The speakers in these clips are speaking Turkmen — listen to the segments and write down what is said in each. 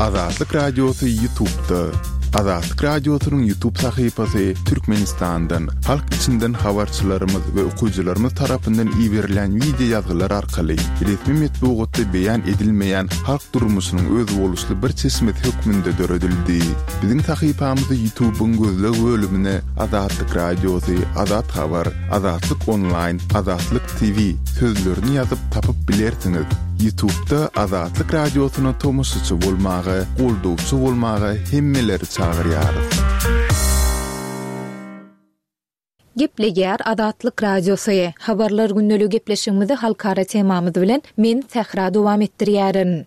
Azatlyk Radiosy Ýutubda. Azatlyk Radiosynyň Ýutub sahypasy Türkmenistandan, halk içinden habarçylarymyz we okyjylarymyz tarapyndan iberilýän wideo ýazgylar arkaly resmi metbugatda beýan edilmeýän halk durmuşynyň özboluşly bir çeşmesi hökmünde döredildi. Biziň sahypamyzy Ýutubyň gözleg bölümine Azatlyk Radiosy, Azat Habar, Azatlyk Onlaýn, Azatlyk TV sözlerini ýazyp tapyp bilersiňiz. Ýutubda Azatlyk Radiosyna tomaşaçy bolmaga, goldawçy bolmaga hemmeleri çagyrýarys. Gepleýär Azatlyk Radiosy. Habarlar gündeligi gepleşigimizi halkara temamyz bilen men Sähra dowam etdirýärin.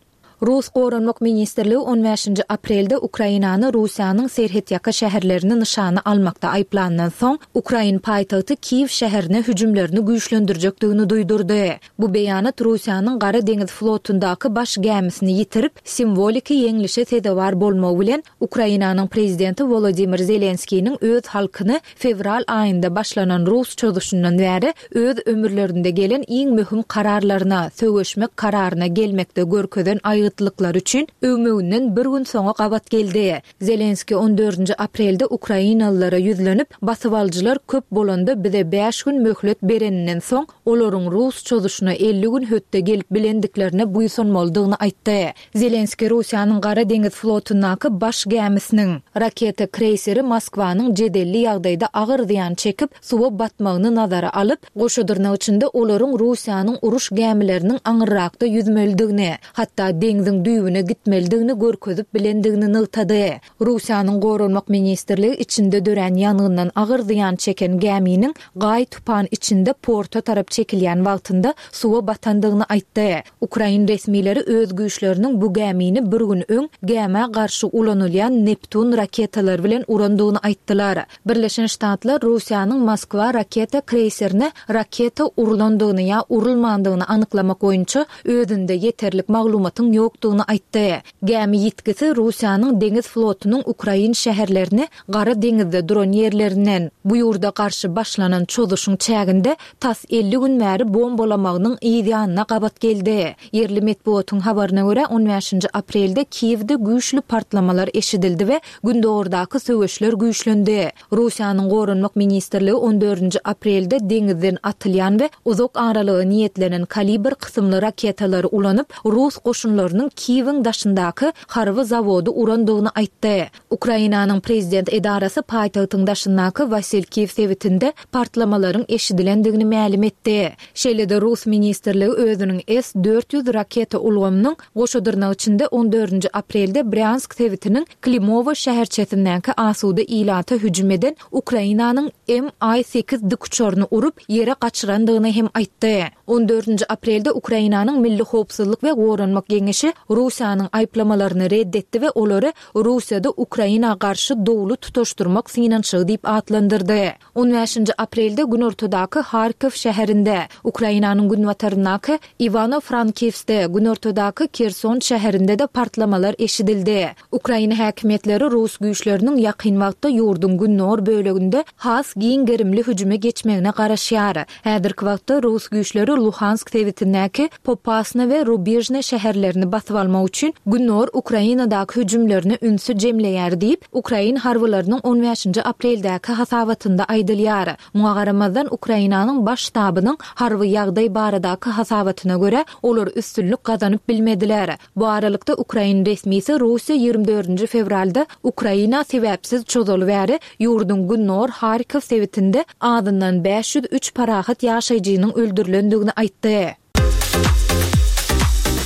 Rus Goranmak ministrligi on bäşinji aprelde Ukrainany Russiýanyň serhetýaka şäherlerini nyşana almakda aýyplandan soň, ukrain paýtagty Kiýew şäherine hüjümlerini güýçlendirjekdigini duýdurdy. Bu beýanat Russiýanyň Gara deňiz flotundaky baş gämisini ýitirip, simwoliki ýeňlişe sezewar bolmagy bilen, Ukrainanyň prezidenti Wolodymyr Zelenskiniň öz halkyny fewral aýynda başlanan rus çozuşyndan bäri öz ömürlerinde gelen iň möhüm kararlaryna, söweşmek kararyna gelmekde görkezen aýgytlyklary üçin öwmeginden bir gün soňa gabat geldi. Zelenskiý on dördünji aprelde ukrainalylara ýüzlenip, basybalyjylar köp bolanda bize bäş gün möhlet bereninden soň, olaryň rus çozuşyna 50 gün hötde gelip bilendiklerine buýsanmalydygyny aýtdy. Zelenskiý Russiýanyň Gara deňiz flotundaky baş gämisiniň, raketa kreýseri Moskwanyň jedelli ýagdaýda agyr zyýan çekip, suwa batmagyny nazara alyp, goşa dyrnak içinde olaryň Russiýanyň uruş gämileriniň aňyrrakda ýüzmelidigini, hatda deňziň düýbüne gitmelidigini görkezip bilendigini nygtady. Russiýanyň Goranmak ministrligi içinde dörän ýangyndan agyr zyýan çeken gäminiň gaý-tupan içinde porta tarap çekilýän wagtynda suwa batandygyny aýtdy. Ukrain resmileri öz güýçleriniň bu gämini bir gün öň gämä garşy ulanylýan Neptun raketalary bilen urandygyny aýtdylar. Birleşen Ştatlar Russiýanyň Moskwa raketa kreýserine raketa urlandygyny ýa urulmandygyny anyklamak boýunça özünde ýeterlik maglumatyň ýokdugyny aýtdy. Gämi ýitgisi Russiýanyň deňiz flotunyň ukrain şäherlerini Gara deňizde duran ýerlerinden, bu ýurda garşy başlanan çozuşyň çäginde tas 50 gün bäri bombalamagynyň yz ýanyna gabat geldi. Ýerli metbugatyň habaryna görä, on bäşinji aprelde Kiýewde güýçli partlamalar eşidildi we gündogardaky söweşler güýçlendi. Russiýanyň Goranmak ministrligi on dördünji aprelde deňizden atylýan we uzak aralyga niýetlenen Kalibr kysymly raketalary ulanyp, rus goşunlarynyň Kiýewiň daşyndaky harby zawody urandygyny aýtdy. Ukrainanyň prezident edarasy paýtagtyň daşyndaky Wasilkiw sebitinde partlamalaryň eşidilendigini mälim etdi. Şeýle-de rus ministrligi özüniň S 400 raketa ulgamynyň goşa dyrnak içinde on dördünji aprelde Brýansk sebitiniň Klimowo şäherçesindäki asuda ilata hüjüm eden Ukrainanyň MI sekiz dikuçaryny urup, ýere gaçyrandygyny hem aýtdy. On dördünji aprelde Ukrainanyň Milli howpsuzlyk we goranmak geňeşi Russiýanyň aýyplamalaryny red etdi we olary Russiýada Ukraina garşy dowly tutaşdyrmak synanyşygy diýip atlandyrdy. On bäşinji aprelde günortadaky Harkow şäherinde, Ukrainanyň günbataryndaky Iwano-Frankiwskde, günortadaky Kerson şäherinde-de partlamalar eşidildi. Ukraina häkimiýetleri rus güýçleriniň ýakyn wagtda ýurduň gündogar böleginde has giň gerimli hüjüme geçmegine garaşýar. Häzirki wagtda rus güýçleri Luhansk sebitindäki Popasna we Rubižne şäherlerini basyp almak üçin gündogar Ukrainadaky hüjümlerine ünsi jemleýär diýip, ukrain harbylarynyň on bäşinji apreldäki hasabatynda aýdylýar. Muňa garamazdan, Ukrainanyň Baş ştabynyň harby ýagdaý baradaky hasabatyna görä, olar üstünlik gazanyp bilmediler. Bu aralykda, ukrain resmisi Russiýa 24-nji fewralda Ukraina sebäpsiz çozaly bäri ýurduň gündogar Harkow sebitinde azyndan 503 parahat ýaşaýjynyň öldürilendigini aýtdy.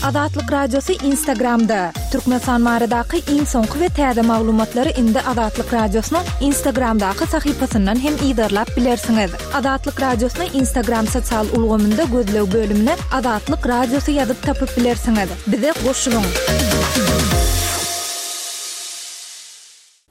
Azatlyk Radiosy Instagramda, Türkmenistan baradaky iň soňky we täze maglumatlary indi Azatlyk Radiosynyň Instagramdaky sahypasyndan hem yzarlap bilersiňiz. Azatlyk Radiosyny Instagram sosial ulgamynda gözleg bölümine Azatlyk Radiosy ýazyp tapyp bilersiňiz. Bize goşulyň!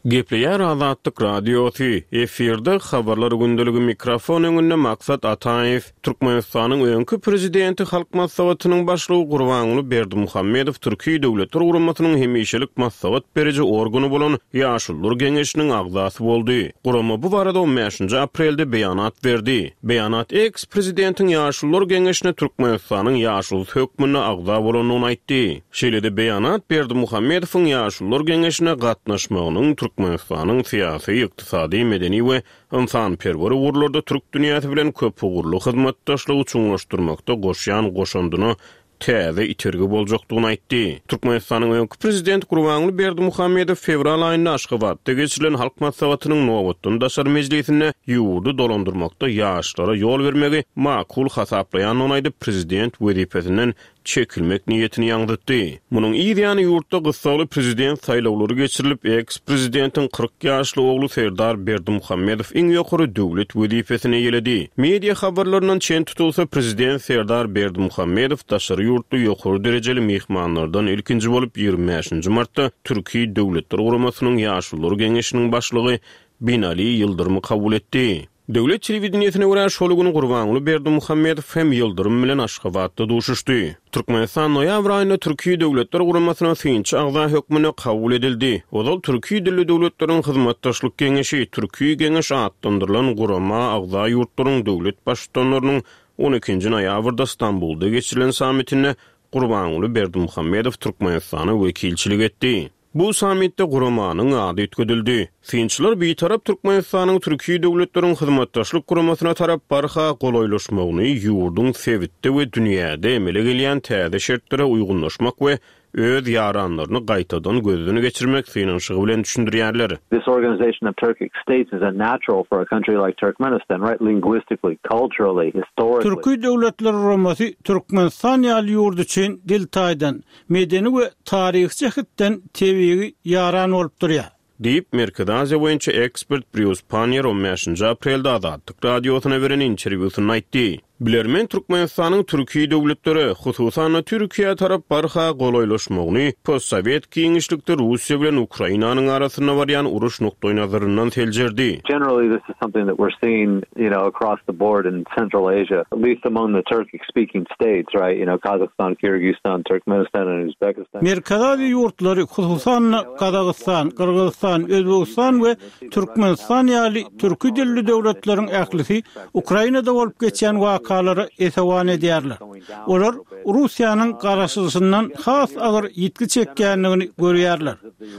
Gepleýär Azatlyk Radiosy, efirde Habarlar gündeligi mikrofon öňünde Maksat Ataýew. Türkmenistanyň öňki Prezidenti Halk Maslahatynyň Başlygy Gurbanguly Berdimuhamedow Türki Döwletler Guramasynyň hemişelik maslahat beriji organy bolan Ýaşulular Geňeşiniň agzasy boldy. Gurama bu barada on bäşinji aprelde beýanat berdi. Beýanat eks-prezidentiň Ýaşulular Geňeşine Türkmenistanyň ýaşulusy hökmünde agza bolandygyny aýtdy. Şeýle-de beýanat Berdimuhamedowyň Ýaşulular geňeşine gatnaşmagynyň Türkmenistanyň syýasy, ykdysady, medeni we ynsanperwer ugurlarda türk dünýäsi bilen köpugurly hyzmatdaşlygy çuňlaşdyrmakda goşýan goşandyna täze itergi boljakdygyny aýtdy. Türkmenistanyň öňki Prezidenti Gurbanguly Berdimuhamedow fewral aýynda Aşgabatda geçirilen Halk Maslahatynyň nobatdan daşary mejlisinde ýurdy dolandyrmakda ýaşlara ýol bermegi makul hasaplaýandygyny aýdyp, prezident wezipesinden çekilmek niýetini ýaňzytdy. Munuň yz ýany ýurtda gyssagly prezident saýlawlary geçirilip, eks-prezidentiň 40 ýaşly ogly Serdar Berdimuhamedow iň ýokary döwlet wezipesini eýeledi. Media habarlaryndan çen tutulsa, prezident Serdar Berdimuhamedow daşary ýurtly ýokary derejeli myhmanlardan ilkinji bolup 25-nji martda Türki Döwletler Guramasynyň Ýaşulular Geňeşiniň başlygy Binali Ýyldyrymy kabul etdi. Döwlet telewideniýesine görä, şol gün Gurbanguly Berdimuhamedow hem Ýyldyrym bilen Aşgabatda duşuşdy. Türkmenistan noýabr aýynda Türki Döwletler Guramasyna synçy agza hökmünde kabul edildi. Ozal Türki dilli döwletleriň hyzmatdaşlyk geňeşi, Türki Geňeş atlandyrylan gurama agza ýurtlaryň döwlet Baştutanlarynyň on ikinji noýabrda Stambulda geçirilen sammitinde Gurbanguly Berdimuhamedow Türkmenistana wekilçilik etdi. Bu sammitde guramanyň ady üýtgedildi. Synçylar Bitarap Türkmenistanyň Türki döwletleriň hyzmatdaşlyk guramasyna tarap barha golaýlaşmagyny ýurduň sebitde we dünýäde emele gelýän täze şertlere uýgunlaşmak we öz ýaranlaryny gaýtadan gözden geçirmek synanyşygy bilen düşündirýärler. This organization of Turkic states is a natural for a country like Turkmenistan, right, linguistically, culturally, historically. Türki Döwletler Guramasy Türkmenistan ýaly ýurt üçin dil taýdan, medeni we taryhy jähetden tebigy ýaran bolup durýar. Diýip, Merkezi Aziýa boýunça ekspert Brýus Panniýer on bäşinji aprelde Azatlyk Radiosyna beren interwýusynda aýtdy. Bilermen Türkmenistanyň türki döwletlere, hususan-da Türkiýä tarap barha golaýlaşmagyny postsowet giňişlikde Russiýa bilen Ukrainanyň arasynda barýan uruş nukdaýnazaryndan seljerdi. Generally this is something that we're seeing, you know, across the board in Central Asia, at least among the Turkic speaking states, right, you know, Kazakhstan, Kyrgyzstan, Turkmenistan and Uzbekistan. Merkezi Aziýa ýurtlary, hususan-da, Gazagystan, Gyrgyzystan, Özbegistan we Türkmenistan ýaly türki dilli döwletleriň ählisi Ukrainada bolup geçýän wakalara esewan edýärler. Olar Russiýanyň garaşylyşyndan has agyr ýitgi çekýändigini görýärler.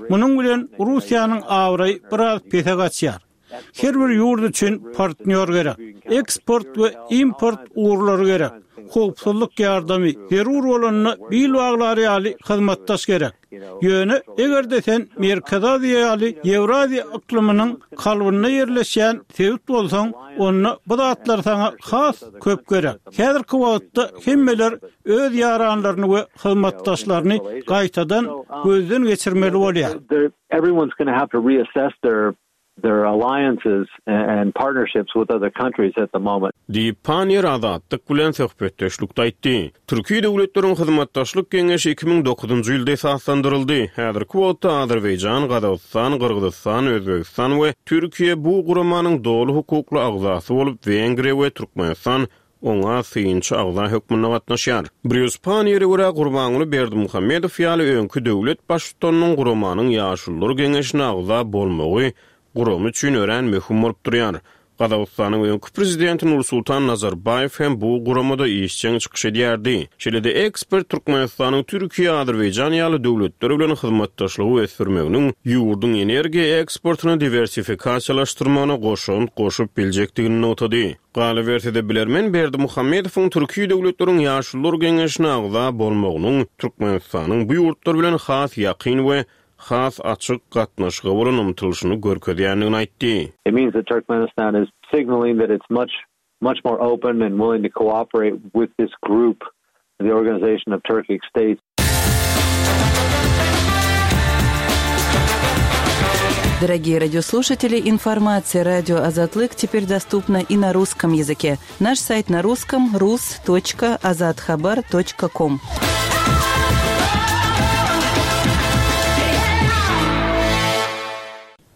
Munuň bilen Russiýanyň abraýy biraz pese gaçýar. Her bir ýurt üçin partnýor gerek. Eksport we import ugurlary gerek. Howpsuzlyk ýardamy, zerur bolanda bil baglar ýaly hyzmatdaş gerek. Ýöne, eger-de sen Merkezi Aziýa ýaly Ýewraziýa yklymynyň kalbynda ýerleşýän sebit bolsaň, onda bu zatlar saňa has köp gerek. Häzirki wagtda hemmeler öz ýaranlaryny we hyzmatdaşlaryny gaýtadan gözden geçirmeli bolýar. Their alliances and partnerships with other countries at the moment. Diýip, Panniýer Azatlyk bilen söhbetdeşlikde aýtdy. Türki döwletleriň hyzmatdaşlyk geňeşi 2009-njy ýylda esaslandyryldy. Häzirki wagtda Azerbaýjan, Gazagystan, Gyrgyzystan, Özbegistan we Türkiýe bu guramanyň doly hukukly agzasy bolup, Wengriýa we Türkmenistan oňa synçy agza hökmünde gatnaşýar. Brýus Panniýere görä, Gurbanguly Berdimuhamedow ýaly öňki döwlet baştutanynyň guramanyň Ýaşulular geňeşine agza bolmagy gurama üçin örän möhüm bolup durýar. Gazagystanyň öňki prezidenti Nursultan Nazarbaýew hem bu guramada işjeň çykyş edýärdi. Şeýle-de ekspert Türkmenistanyň Türkiýe, Azerbaýjan ýaly döwletler bilen hyzmatdaşlygy ösdürmeginiň ýurduň energiýa eksportyny diwersifikasiýalaşdyrmagyna goşant goşup biljekdigini nygtady. Galyberse-de, bilermen Berdimuhamedowyň Türki döwletleriň Ýaşulular geňeşine agza bolmagynyň Türkmenistanyň bu ýurtlar bilen has ýakyn we has açyk gatnaşyga bolan ymtylyşyny görkezýändigini aýtdy. It means that Turkmenistan is signaling that it's much much more open and willing to cooperate with this group, the Organization of Turkic States. Дорогие радиослушатели, информация радио Азатлык теперь доступна и на русском языке. Наш сайт на русском rus.azathabar.com.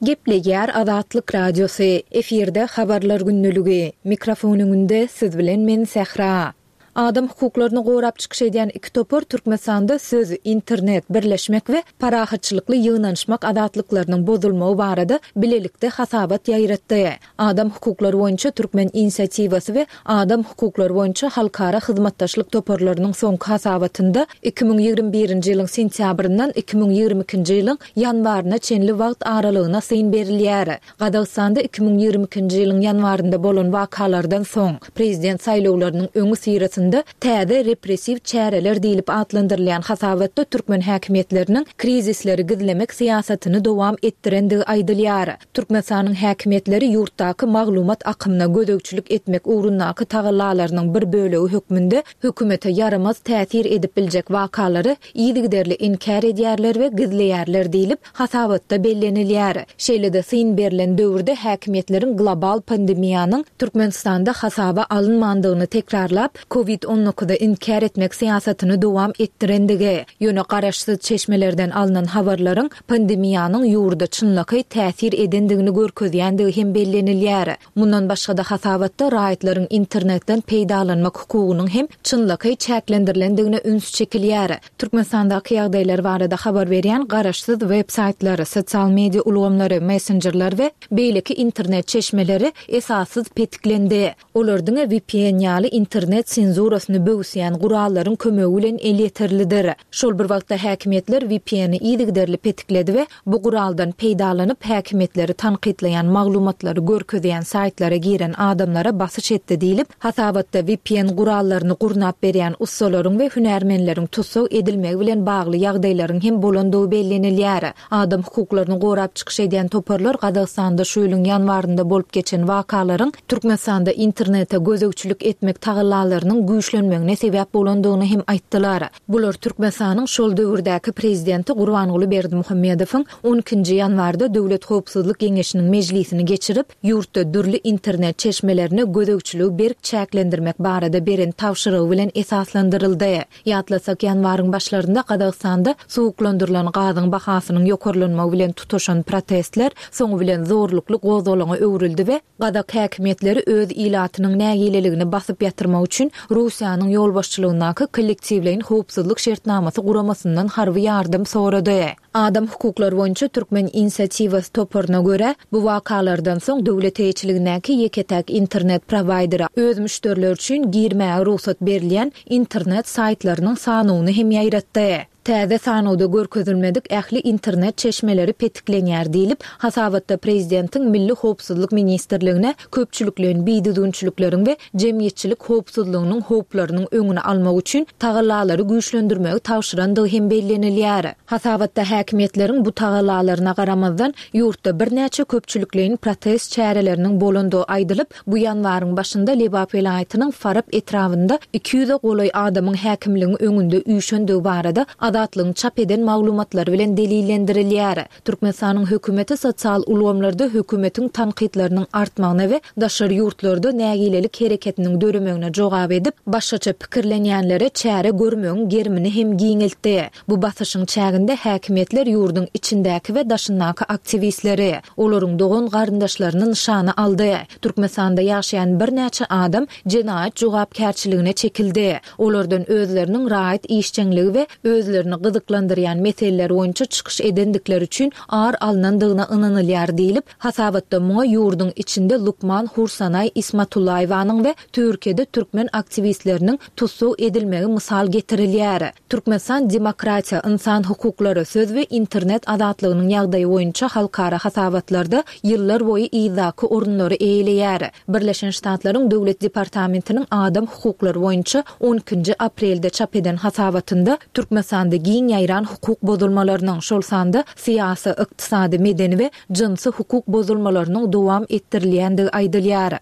Gepleýär Azatlyk Radiosy, efirde Habarlar gündeligi, mikrofon öňünde siz bilen men Sähra. Adam hukuklaryny gorap çykyş edýän iki topar Türkmenistanda söz, internet, birleşmek we parahatçylykly ýygnanyşmak azatlyklarynyň bozulmagy barada bilelikde hasabat ýaýratdy. Adam hukuklary boýunça Türkmen inisiatiwasy we Adam hukuklary boýunça halkara hyzmatdaşlyk toparlarynyň soňky hasabatynda 2021-nji ýylyň sentýabryndan 2022-nji ýylyň ýanwaryna çenli wagt aralygyna syn berilýär. Gazagystanda 2022-nji ýylyň ýanwarynda bolan wakalardan soň, prezident saýlawlarynyň öňüsyrasynda täze repressiw çäreler diýlip atlandyrylýan hasabatda türkmen häkimiýetleriniň krizisleri gizlemek syýasatyny dowam etdirendigi aýdylýar. Türkmenistanyň häkimiýetleri ýurtdaky maglumat akymyna gözegçilik etmek ugrundaky tagallalarynyň bir bölegi hökmünde hökümete ýaramaz täsir edip biljek wakalary yzygiderli inkär edýärler we gizleýärler diýlip, hasabatda bellenilýär. Şeýle-de syn berlen döwürde häkimiýetleriň global pandemiýanyň Türkmenistanda hasaba alynmandygyny tekrarlap, Covid on dokuzy inkär etmek syýasatyny dowam etdirendigi, ýöne garaşsyz çeşmelerden alnan habarlaryň pandemiýanyň ýurda çynlakaý täsir edendigini görkezýändigi hem bellenilýär. Mundan başga-da hasabatda raýatlaryň internetden peýdalanmak hukugynyň hem çynlakaý çäklendirilendigine üns çekilýär. Türkmenistandaky ýagdaýlar barada habar berýän garaşsyz web saýtlar, sosial media ulgamlary, messenjerler we beýleki internet çeşmeleri esassyz petiklendi. Olar diňe vpn ýaly internet senzurasyny böwüsýän gurallaryň kömegi bilen elýeterlidir. Şol bir wagtda häkimiýetler VPN-i yzygiderli petikledi we bu guraldan peýdalanyp häkimiýetleri tankytlaýan maglumatlary görkezýän saýtlara giren adamlara basyş etdi diýlip, hasabatda vpn gurallaryny gurnap berýän ussalaryň we hünärmenleriň tussag edilmegi bilen bagly ýagdaýlaryň hem bolandygy bellenilýär. Adam hukuklaryny gorap çykyş edýän toparlar Gazagystanda şu ýylyň ýanwarynda bolup geçen wakalaryň Türkmenistanda internete gözegçilik etmek tagallalarynyň güýçlenmegine sebäp bolandygyny hem aýtdylar. Bular Türkmenistanyň şol döwürdäki prezidenti Gurbanguly Berdimuhamedowyň on ikinji ýanwarda Döwlet howpsuzlyk geňeşiniň mejlisini geçirip, ýurtda dürli internet çeşmelerine gözegçiligi berk çäklendirmek barada beren tabşyrygy bilen esaslandyryldy. Ýatlasak, ýanwaryň başlarynda Gazagystanda suwuklandyrylan gazyň bahasynyň ýokarlanmagy bilen tutaşan protestler soňy bilen zorlukly gozgalaňa öwrüldi we gazak häkimiýetleri öz ilatynyň nägileligini basyp ýatyrmak üçin Russiýanyň ýolbaşçylygyndaky Kollektiwleýin howpsuzlyk şertnamasy guramasyndan harby ýardam sorady. Adam hukuklary boýunça Türkmen inisiatiwasy toparyna görä, bu wakalardan soň döwlet eýeçiligindäki ýeke-täk internet prowaýderi öz müşderileri üçin girmäge rugsat berilýän internet saýtlarynyň sanawyny hem ýaýratdy. Täze sanawda görkezilmedik ähli internet çeşmeleri petiklenýär diýlip, hasabatda prezidentiň Milli howpsuzlyk ministrligine köpçülikleýin bidüzgünçilikleriň we jemgyýetçilik howpsuzlygynyň howplarynyň öňüni almak üçin tagallalary güýçlendirmegi tabşyrandygy hem bellenilýär. Hasabatda häkimiýetleriň bu tagallalaryna garamazdan, ýurtda birnäçe köpçülikleýin protest çäreleriniň bolandygy aýdylyp, bu ýanwaryň başynda Lebap welaýatynyň Farap etrabynda iki ýüze golaý adamyň häkimligiň öňünde üýşendigi barada Azatlygyň çap eden maglumatlary bilen delillendirilýär. Türkmenistanyň hökümeti sosial ulgamlarda hökümetiň tankytlarynyň artmagyna we daşary ýurtlarda nägilelik hereketiniň döremegine jogap edip, başgaça pikirlenýänlere çäre görmegiň gerimini hem giňeltdi. Bu basyşyň çäginde häkimiýetler ýurduň içindäki we daşyndaky aktiwistleri, olaryň dogan-garyndaşlaryny nyşana aldy. Türkmenistanda ýaşaýan birnäçe adam jenaýat jogapkärçiligine çekildi. Olardan özleriniň raýat işjeňligi we özlerini gyzyklandyrýan meseleler boýunça çykyş edendikleri üçin ar alnandygyna ynanylýar diýlip, hasabatda muňa ýurduň içinde lukman Hursanaý Ismatullaýewanyň we Türkiýede türkmen aktiwistleriniň tussag edilmegi mysal getirilýär. Türkmenistan demokratiýa, ynsan hukuklary, söz we internet azatlygynyň ýagdaýy boýunça halkara hasabatlarda ýyllar boýy yzdaky orunlary eýeleýär. Birleşen Ştatlaryň Döwlet departamentiniň adam hukuklary boýunça on ikinji aprelde çap eden hasabatynda Türkmenistanda giň ýaýran hukuk bozulmalarynyň, şol sanda syýasy, ykdysady, medeni we jynsy hukuk bozulmalarynyň dowam etdirilýändigi aýdylýar.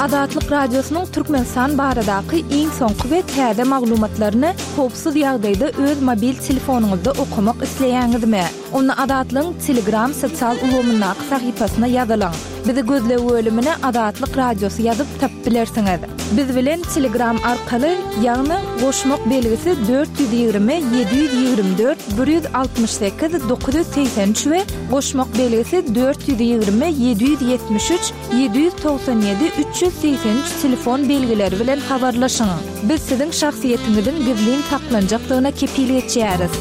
Azatlyk Radiosynyň Türkmenistan baradaky iň soňky we täze maglumatlaryny howpsuz ýagdaýda öz mobil telefonyňyzda okamak isleýäňizmi? Onda Azatlygyň Telegram sosial ulgamyndaky sahypasyna ýazylyň. Bizi gözleg bölümine Azatlyk Radiosy ýazyp tapyp bilersiňiz. Biz bilen Telegram arkaly, ýagny goşmak belgisi 420 724 168 983 we goşmak belgisi 420 773 797 383 telefon belgileri bilen habarlaşyň. Biz siziň şahsyýetiňiziň gizlin saklanjakdygyna kepil geçýäris.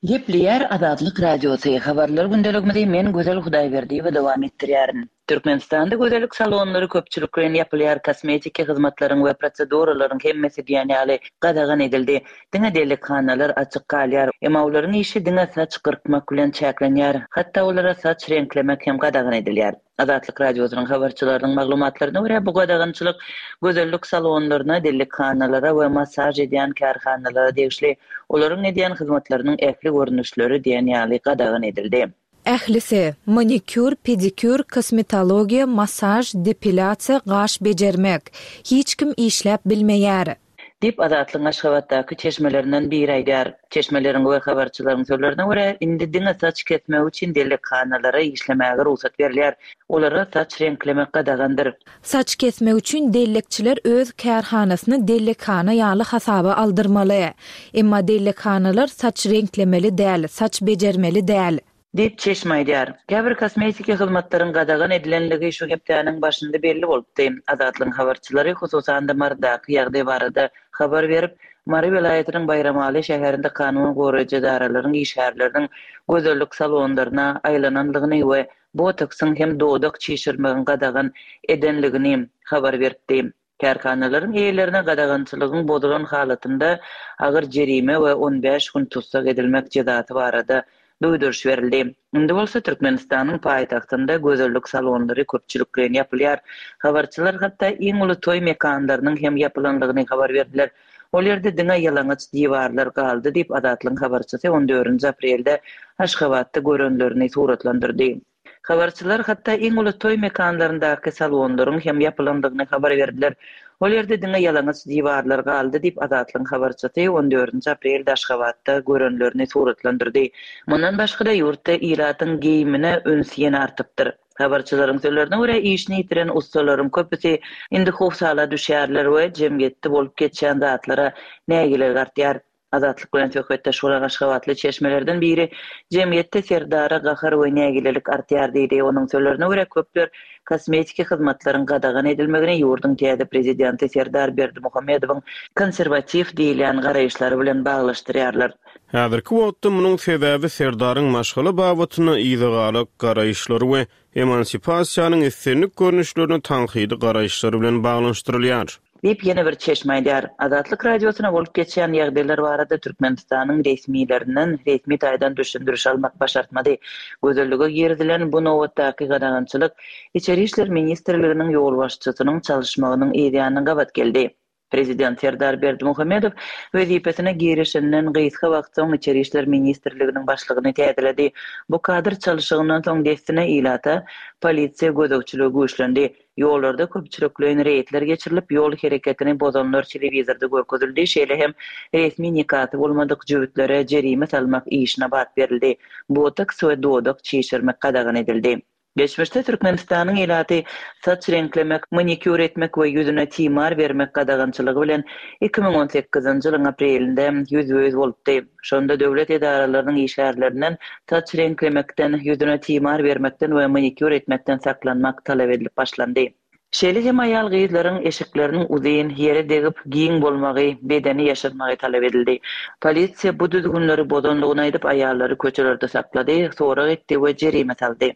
Gepleýär Azatlyk Radiosy, Habarlar gündeligimizi men Gözel Hudaýberdiýewa dowam etdirýärin. Türkmenistanda gözellik salonlary köpçülikleýin ýapylýar, kosmetiki hyzmatlaryň we proseduralaryň hemmesi diýen ýaly gadagan edildi. Diňe dellekhanalar açyk galýar. Emma olaryň işi diňe saç gyrkmak bilen çäklenýär. Hatda olara saç reňklemek hem gadagan edilýär. Azatlyk Radiosynyň habarçylarynyň maglumatlaryna görä, bu gadagançylyk gözellik salonlaryna, dellekhanalara we massaž edýän kärhanalara degişli. Olaryň edýän hyzmatlarynyň ähli görnüşleri diýen ýaly gadagan edildi. Ählisi, manikýur, pedikýur, kosmetologiýa, massaž, depilýasiýa, gaş bejermek. Hiç kim işläp bilmeýär. Diýip, Azatlygyň Aşgabatdaky çeşmelerinden biri aýdýar. Çeşmeleriň we habarçylaryň sözlerine görä, indi diňe saç kesmek üçin dellekhanalara işlemäge rugsat berilýär. Olara saç reňklemek gadagandyr. Saç kesmek üçin dellekçiler öz kärhanasyny dellekhana ýaly hasaba aldyrmaly. Emma dellekhanalar saç reňklemeli däl, saç bejermeli däl. Diýip, çeşme aýdýar. Käbir kosmetiki hyzmatlaryň gadagan edilenligi şu hepdäniň başynda belli bolupdy. Azatlygyň habarçylary, hususan-da, Marydaky ýagdaý barada habar berip, Mary welaýatynyň Baýramaly şäherinde kanun goraýjy edaralaryň işgärleriniň gözellik salonlaryna aýlananlygyny we botoksyň hem dodak çişirmegiň gadagan edenligini habar beripdi. Kärhanalaryň eýelerine gadagançylygyň bozulan halatynda agyr jerime we 15 gün tussag edilmek jezasy barada duýduryş berildi. Indi bolsa Türkmenistanyň paýtagtynda gözellik salonlary köpçülikleýin ýapylýar. Habarçylar hatda iň uly toý mekanlarynyň hem ýapylanlygyny habar berdiler. Ol ýerde diňe ýalaňaç diwarlar galdy diýip, Azatlygyň habarçysy on dördünji aprelde Aşgabatda görenlerini suratlandyrdy. Habarçylar hatda iň uly toý mekanlaryndaky salonlaryň hem ýapylandygyny habar berdiler. Ol ýerde diňe ýalaňaç diwarlar galdy diýip, Azatlygyň habarçysy on dördünji aprelde Aşgabatda görenlerini suratlandyrdy. Mundan başga-da, ýurtda ilatyň geýimine üns ýene artypdyr. Habarçylaryň sözlerine görä, işini ýitiren ussalaryň köpüsi indi howsala düşýärler we jemgyýetde bolup geçýän zatlara nägilelik artýar. Azatlyk bilen söhbetdeş bolan aşgabatly çeşmelerden biri jemgyýetde Serdara gahar we nägilelik artýar diýdi. Onuň sözlerine görä, köpler kosmetiki hyzmatlaryň gadagan edilmegini ýurduň täze prezidenti Serdar Berdimuhamedowyň konserwatiw diýilýän garaýyşlary bilen baglaşdyrýarlar. Häzirki wagtda munuň sebäbi Serdaryň maşgala babatynda yzagalak garaýyşlary we emansipasiýanyň islendik görnüşlerine tankydy garaýyşlary bilen baglanyşdyrylýar. Diýip, ýene bir çeşme aýdýar. Azatlyk Radiosyna bolup geçýän ýagdaýlar barada Türkmenistanyň resmilerinden resmi taýdan düşündiriş almak başartmady. Gözellige girizilen bu nobatdaky gadagançylyk Içeri işler ministrliginiň ýolbaşçysynyň çalyşmagynyň yzýanyna gabat geldi. Prezident Serdar Berdimuhamedow wezipesine girişenden gysga wagt soň Içeri işler ministrliginiň başlygyny täzeledi. Bu kadr çalşygyndan soň dessine ilata polisiýa gözegçiligi güýçlendi. Ýollarda köpçülikleýin reýdler geçirilip, ýol hereketini bozanlar telewizorda görkezildi, şeýle hem resmi nikasy bolmadyk jübütlere jerime salmak işine bat berildi. Botoks we dodak çişirmek gadagan edildi. Geçmişde Türkmenistanyň ilaty saç reňklemek, manikýur etmek we ýüzüne timar bermek gadagançylygy bilen 2018-nji ýylyň aprelinde ýüzbe-ýüz bolupdy. Şonda döwlet edaralarynyň işgärlerinden saç reňklemekden, ýüzüne timar bermekden we manikýur etmekden saklanmak talap edilip başlandy. Şeýle hem aýal-gyzlaryň eşikleriniň uzyn, ýere degip, giň bolmagy, bedeni ýaşyrmagy talap edildi. Polisiýa bu düzgünleri bozandygyny aýdyp, aýallary köçelerde saklady, sorag etdi we jerime saldy.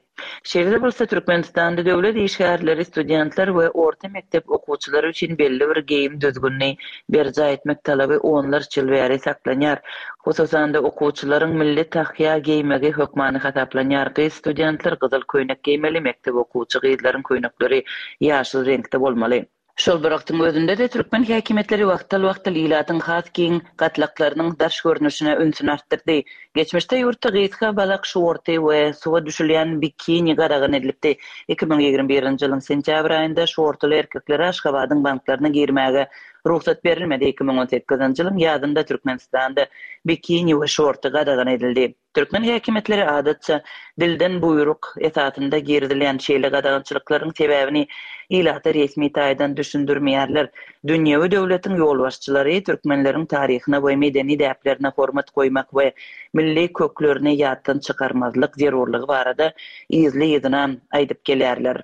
Şeýle-de bolsa, Türkmenistanda döwlet işgärleri, studentler we orta mekdep okuwçylary üçin belli bir geýim düzgünini berjaý etmek talaby onlarça ýyl bäri saklanýar. Hususan-da, okuwçylaryň milli tahýa geýmegi hökmany hasaplanýar. Gyz studentler gyzyl köýnek geýmeli, mekdep okuwçy gyzlaryň köýnekleri ýaşyl reňkde bolmaly. Şol bir wagtyň özünde-de, türkmen häkimiýetleri wagtal-wagtal ilatyň has giň gatlaklarynyň daş görnüşine ünsüni artdyrdy. Geçmişde ýurtda gysga balak şorty we suwa düşülýän bikini gadagan edilipdi. 2021-nji ýylyň sentýabr aýynda şortuly erkeklere Aşgabadyň banklaryna girmäge. rugsat berilmedi. 2018-nji ýylyň ýazynda Türkmenistanda bikini we şorty gadagan edildi. Türkmen häkimiýetleri adatça dilden buýruk esasynda girizilýän şeýle gadagançylyklaryň sebäbini ilata resmi taýdan düşündirmeýärler. Dünýewi döwletiň ýolbaşçylary türkmenleriň taryhyna we medeni däplerine hormat goýmak we milli köklerini ýatdan çykarmazlyk zerurlygy barada yzly-yzyna aýdyp gelýärler.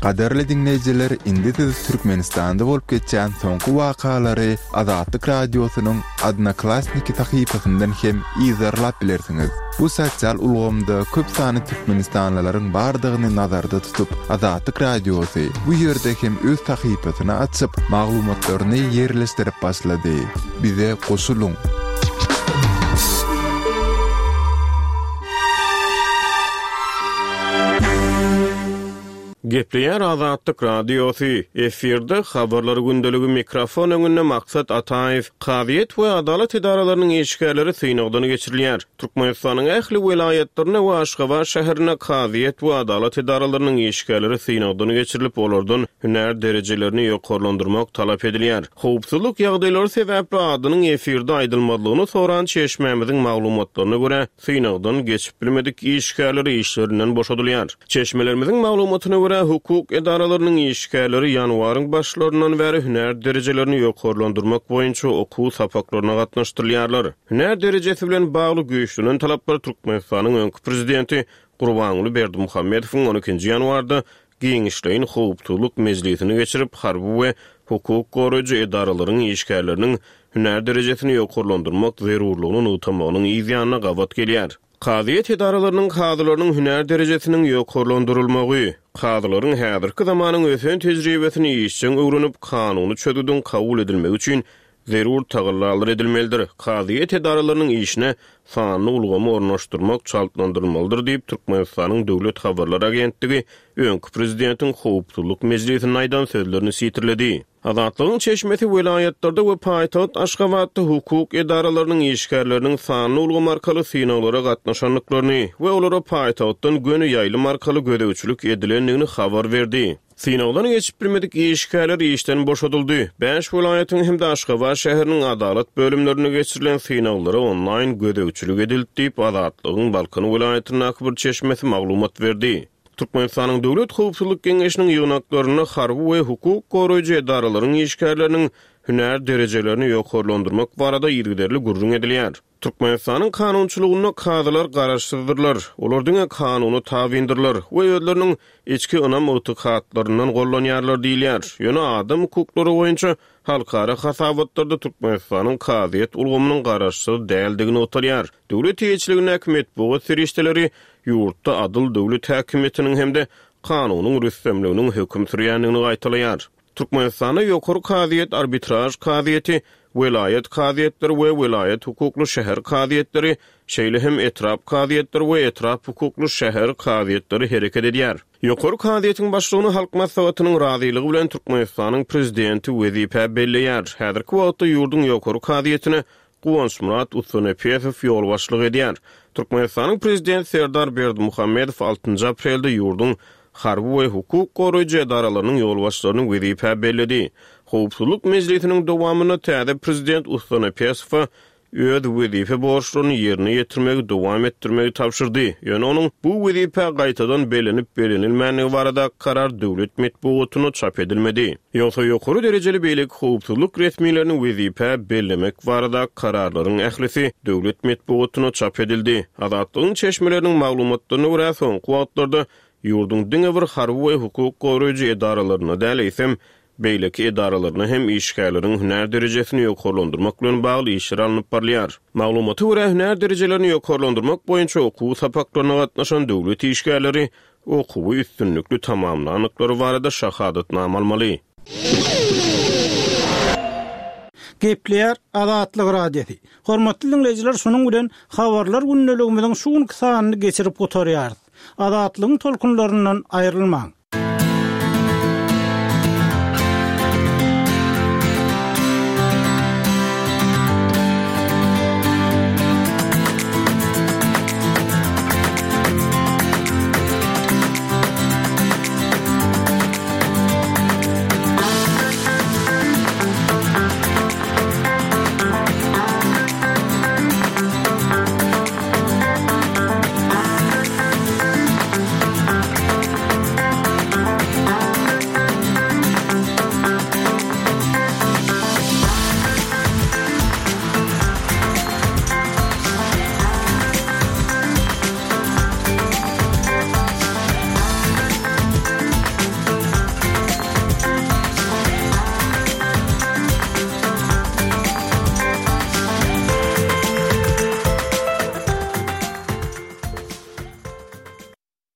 Gadyrly diňleýjiler, indi siz Türkmenistanda bolup geçýän soňky wakalary Azatlyk Radiosynyň Odnoklassniki sahypasyndan hem yzarlap bilersiňiz. Bu sosial ulgamda köp sanly türkmenistanlylaryň bardygyny nazarda tutup, Azatlyk Radiosy bu ýerde hem öz sahypasyny açyp, maglumatlaryny ýerleşdirip başlady. Bize goşulyň! Gepleýär Azatlyk Radiosy, efirde Habarlar gündeligi mikrofon öňünde Maksat Ataýew. Kazyýet we adalat edaralarynyň işgärleri synagdan geçirilýär. Türkmenistanyň ähli welaýatlarynda we Aşgabat şäherinde kazyýet we adalat edaralarynyň işgärleri synagdan geçirilip, olardan hünär derejelerini ýokarlandyrmak talap edilýär. Howpsuzlyk ýagdaýlary sebäpli adynyň efirde aýdylmazlygyny soran çeşmämiziň maglumatlaryna görä, synagdan geçip bilmedik işgärler işlerinden boşadylýar. Çeşmelerimiziň maglumatyna görä, hukuk edaralarynyň işgärleri ýanwaryň başlaryndan bäri hünär derejelerini ýokarlandyrmak boýunça okuw sapaklaryna gatnaşdyrylýarlar. Hünär derejesi bilen bagly güýçlenen talaplar Türkmenistanyň öňki prezidenti Gurbanguly Berdimuhamedowyň on ikinji ýanwarda giňişleýin howpsuzlyk mejlisini geçirip, harby we hukuk goraýjy edaralaryň işgärleriniň hünär derejesini ýokarlandyrmak zerurlygyny nygtamagynyň yz ýanyna gabat gelýär. Kazyýet edaralarynyň kazylarynyň hünär derejesiniň ýokarlandyrylmagy, kazylaryň häzirki zamanyň ösen tejribesini işjeň öwrenip, kanuny çözgüdiň kabul edilmegi üçin zerur tagallalar edilmelidir, kazyýet edaralarynyň işine sanly ulgamy ornaşdyrmak çaltlandyrylmalydyr diýip, Türkmenistanyň Döwlet habarlar agentligi öňki prezidentiň howpsuzlyk mejlisinde aýdan sözlerini sitirledi. Azatlygyň çeşmesi welaýatlarda we paýtagt Aşgabatda hukuk edaralarynyň işgärleriniň sanly ulgam arkaly synaglara gatnaşandyklaryny we olara paýtagtdan göni ýaýlym arkaly gözegçilik edilendigini habar berdi. Synagdan geçip bilmedik işgärler işden boşadyldy. Bäş welaýatyň hem-de Aşgabat şäheriniň adalat bölümlerinde geçirilen synaglara onlaýn gözegçilik edildi diýip, Azatlygyň Balkan welaýatyndaky bir çeşmesi maglumat berdi. Türkmenistanyň Döwlet howpsuzlyk geňeşiniň ýygnaklarynda harby we hukuk goraýjy edaralaryň işgärleriniň hünär derejelerini ýokarlandyrmak barada yzygiderli gürrüň edilýär. Türkmenistanyň kanunçylygynda kazylar garaşsyzdyrlar, olar diňe kanuna tabyndyrlar we özleriniň içki ynam-ygtykatlaryndan gollanýarlar diýilýär. Ýöne adam hukuklary boýunça halkara hasabatlarda Türkmenistanyň kazyýet ulgamynyň garaşsyz däldigi nygtalýar. Döwlet eýeçiligindäki metbugat serişdeleri ýurtda adyl döwlet häkimiýetiniň hem-de kanunyň rüstemliginiň höküm sürýändigini gaýtalaýar. Türkmenistanda Ýokary kazyýet, arbitraž kazyýeti, welaýat kazyýetleri we welaýat hukukly şäher kazyýetleri, şeýle hem etrap kazyýetleri we etrap hukukly şäher kazyýetleri hereket edýär. Ýokary kazyýetiň başlygyny Halk Maslahatynyň razylygy bilen Türkmenistanyň Prezidenti wezipä belleýär. Häzirki wagtda ýurduň Ýokary kazyýetine Guwançmyrat Ussanepesow ýolbaşçylyk edýär. Türkmenistanyň Prezidenti Serdar Berdimuhamedow altynjy aprelde ýurduň harby we hukuk goraýjy edaralarynyň ýolbaşçylaryny wezipä belledi. Howpsuzlyk mejlisiniň dowamynda täze Prezident Ussanepesowa öz wezipe borçlaryny ýerine ýetirmegi dowam etdirmegi tabşyrdy. Ýöne onuň bu wezipä gaýtadan bellenip-bellenilmändigi baradaky karar döwlet metbugatynda çap edilmedi. Ýogsa ýokary derejeli beýleki howpsuzlyk resmilerini wezipä bellemek baradaky kararlaryň ählisi döwlet metbugatynda çap edildi. Azatlygyň çeşmeleriniň maglumatlaryna görä, soňky wagtlarda ýurduň diňe bir harby we hukuk goraýjy edaralarynda däl, eýsem, beýleki edaralarynda hem işgärleriň hünär derejesini ýokarlandyrmak bilen bagly işler alnyp barylýar. Maglumata görä, hünär derejelerini ýokarlandyrmak boýunça okuw sapaklaryna gatnaşan döwlet işgärleri okuwy üstünlikli tamamlandyklary barada şahadatnama almaly. Gepleýär Azatlyk Radiosy. Hormatly diňleýjiler şunuň bilen Habarlar gündeligimiziň şu günki sanyny geçirip gutarýarys. Azatlygyň tolkunlaryndan aýrylmaň.